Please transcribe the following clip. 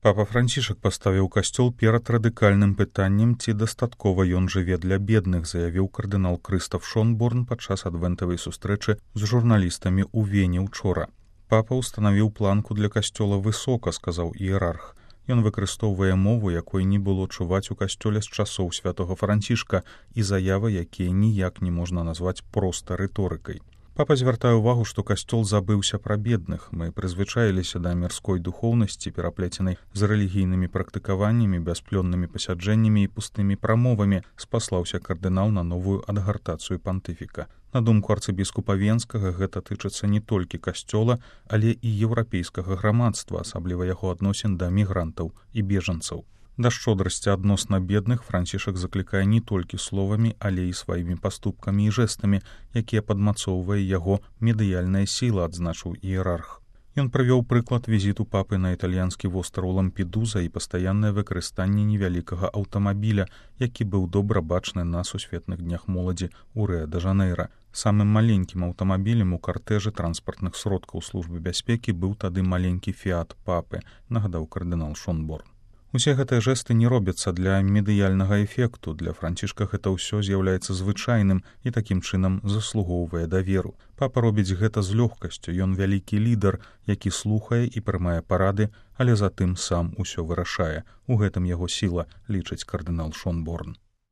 Папа Францішак паставіў касцёл перад радыкальным пытаннем, ці дастаткова ён жыве для бедных, заявіў кардынал Крыстаф Шонборн падчас адвентавай сустрэчы з журналістамі ў Вене учора. Папа ўстанавіў планку для касцёла высока, сказаў іерарх. Ён выкарыстоўвае мову, якой не было чуваць у касцёле з часоў святога Францішка, і заявы, якія ніяк не можна назваць проста рыторыкай. Папа звяртае ўвагу, што касцёл забыўся пра бедных. Мы прызвычаіліся да мірской духоўнасці, пераплеценай з рэлігійнымі практыкаваннямі, бясплённымі пасяджэннямі і пустымі прамовамі, спаслаўся кардынал на новую адгартацыю пантыфіка. На думку арцыбіскупа Венскага, гэта тычыцца не толькі касцёла, але і еўрапейскага грамадства, асабліва яго адносін да мігрантаў і бежанцаў. Да шчодрасці адносна бедных Францішак заклікае не толькі словамі, але і сваімі паступкамі і жэстамі, якія падмацоўвае яго медыяльная сіла, адзначыў іерарх. Ён прывёў прыклад візіту папы на італьянскі востраў Лампедуза і пастаяннае выкарыстанне невялікага аўтамабіля, які быў добра бачны на сусветных днях моладзі ў Рыа-дэ-Жанэйра. Самым маленькім аўтамабілем у картэжы транспартных сродкаў службы бяспекі быў тады маленькі фіат папы, нагадаў кардынал Шонборн. Усе гэтыя жэсты не робяцца для медыяльнага эфекту. Для Францішка гэта ўсё з'яўляецца звычайным і такім чынам заслугоўвае даверу. Папа робіць гэта з лёгкасцю. Ён вялікі лідар, які слухае і прымае парады, але затым сам усё вырашае. У гэтым яго сіла, лічыць кардынал Шонборн.